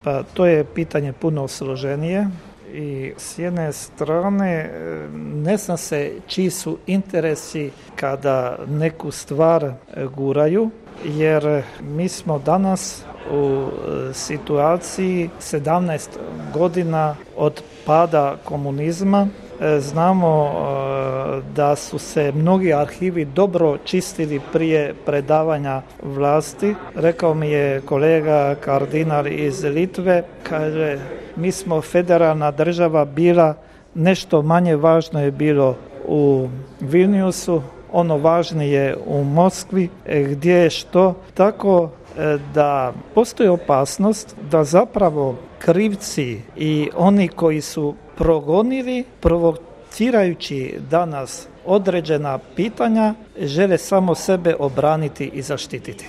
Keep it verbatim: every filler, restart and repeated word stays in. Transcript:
Pa to je pitanje puno složenije i s jedne strane ne zna se čiji su interesi kada neku stvar guraju, jer mi smo danas u situaciji sedamnaest godina od pada komunizma. Znamo da su se mnogi arhivi dobro čistili prije predavanja vlasti. Rekao mi je kolega kardinal iz Litve, kaže, mi smo federalna država bila, nešto manje važno je bilo u Vilniusu, ono važnije u Moskvi, gdje je što. Tako da postoji opasnost da zapravo krivci i oni koji su progonili, provocirajući danas određena pitanja, žele samo sebe obraniti i zaštititi.